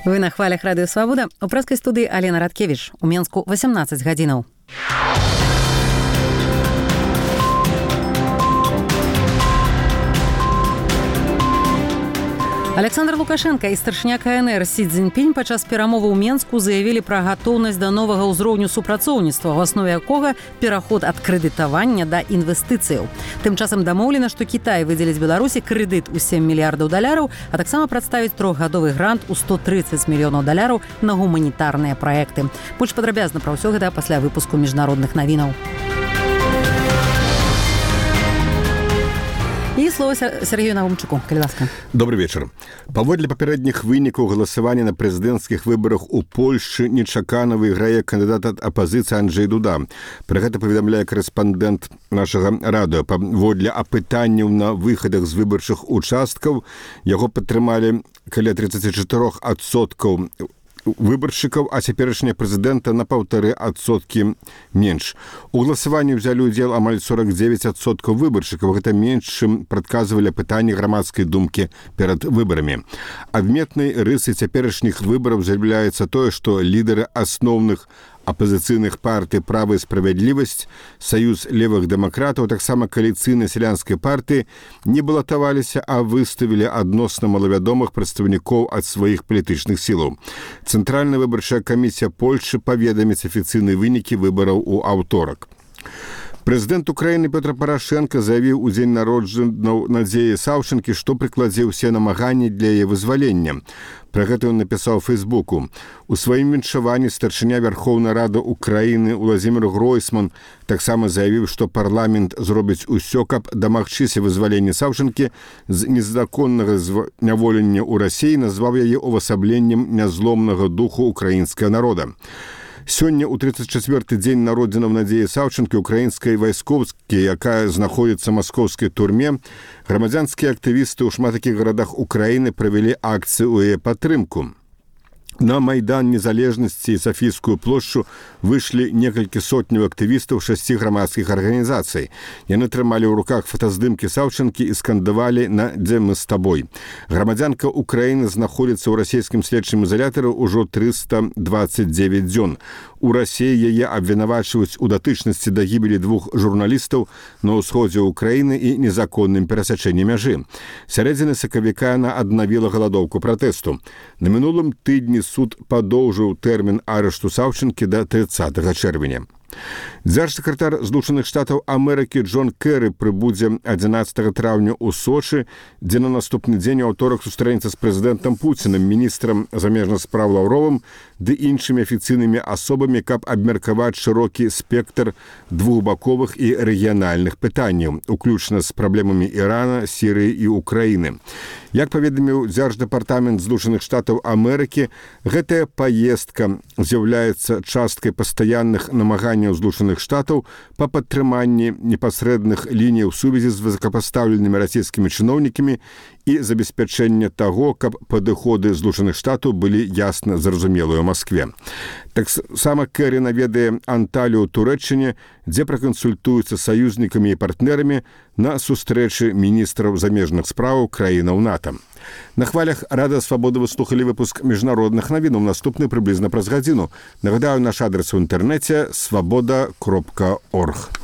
Вы на хвалях Радыё Свабода. У прэскай студыі Алена Радкевіч. У Менску 18 гадзінаў. Александр Лукашенко і старшыня КНР Сі Цзіньпінь падчас перамовы ў Менску заявілі пра гатоўнасць да новага ўзроўню супрацоўніцтва, у аснове якога пераход ад крэдытавання да інвестыцыяў. Тым часам дамоўлена, што Кітай выдзеліць Беларусі крэдыт у $7 мільярдаў, а таксама прадставіць трохгадовы грант у $130 мільёнаў на гуманітарныя праекты. Больш падрабязна пра ўсё гэта пасля выпуску міжнародных навінаў. І слово Сергею Навумчуку. Калі ласка. Добрый вечар. Паводле папярэдніх вынікаў галасавання на прэзідэнцкіх выбарах у Польшчы нечакана выйграе кандыдат ад апазіцыі Анджэй Дуда. Пра гэта паведамляе корэспандэнт нашага радыё. Паводле апытанняў на выхадах з выбарчых участкаў яго падтрымалі каля 34% выбаршчыкаў, а цяперашняя прэзідэнта на 1,5% менш. У галасаванні ўзялі ўдзел амаль 49% выбаршчыкаў. Гэта менш, чым прадказвалі пытанні грамадскай думкі перад выбарамі. Адметнай рысай цяперашніх выбараў з'яўляецца тое, што лідары асноўных апазіцыйных партый «Права і справядлівасць», Саюз левых дэмакратаў, таксама кааліцыйнай сялянскай партыі не балатаваліся, а выставілі адносна малавядомых прадстаўнікоў ад сваіх палітычных сілаў. Цэнтральная выбарчая камісія Польшчы паведаміць афіцыйныя вынікі выбараў у аўторак. Прэзідэнт Украіны Петр Парашенко заявіў у дзень народжанняў Надзеі Саўчанкі, што прыкладзе ўсе намаганні для яе вызвалення. Пра гэта ён напісаў у Фейсбуку. У сваім віншаванні старшыня Вярхоўнай Рады Украіны Уладзімір Гройсман таксама заявіў, што парламент зробіць усё, каб дамагчыся вызвалення Саўчанкі з незаконнага зняволення ў Расіі, назваў яе увасабленнем нязломнага духу украінскага народа. Сёння, у 34-й дзень народзінаў Надзеі Саўчанкі, украінскай вайскоўскай, якая знаходзіцца ў маскоўскай турме, грамадзянскія актывісты ў шмат такіх гарадах Украіны правялі акцыю ў яе падтрымку. На Майдан Незалежнасці і Сафійскую плошчу выйшлі некалькі сотняў актывістаў 6 грамадскіх арганізацый. Яны трымалі ў руках фотаздымкі Саўчанкі і скандавалі на «Дзе мы з табой». Грамадзянка Украіны знаходзіцца ў расійскім следчым ізалятары ўжо 329 дзён. У Расіі яе абвінавачваюць у датычнасці да гібелі 2 журналістаў на ўсходзе Украіны і незаконным перасячэнні мяжы. Сярэдзіны сакавіка яна аднавіла галадоўку пратэсту. На мінулым тыдні суд падоўжыў тэрмін арышту Саўчанкі да 30 чэрвеня. Дзяржсакратар Злучаных Штатаў Амерыкі Джон Кэры прыбудзе 11 траўня ў Сочы, дзе на наступны дзень у аўторак сустрэнецца з прэзідэнтам Пуцінам, міністрам замежных спраў Лаўровым ды іншымі афіцыйнымі асобамі, каб абмеркаваць шырокі спектр двухбаковых і рэгіянальных пытанняў, уключна з праблемамі Ірана, Сірыі і Украіны. Як паведаміў Дзярждэпартамент Злучаных Штатаў Амерыкі, гэтая паездка з'яўляецца часткай пастаянных намаганняў Злучаных Штатаў па падтрыманні непасрэдных лініяў сувязі з высокапастаўленымі расійскімі чыноўнікамі і забеспячэння таго, каб падыходы Злучаных Штатаў былі ясна зразумелыя ў Маскве. Таксама Кэры наведае Анталію ў Турэччыне, дзе пракансультуюцца саюзнікамі і партнерамі на сустрэчы міністраў замежных спраў краінаў НАТО. На хвалях Радыё Свабода вы слухалі выпуск міжнародных навінаў, наступны прыблізна праз гадзіну. Нагадаю, наш адрес у інтэрнэце свабода.орг.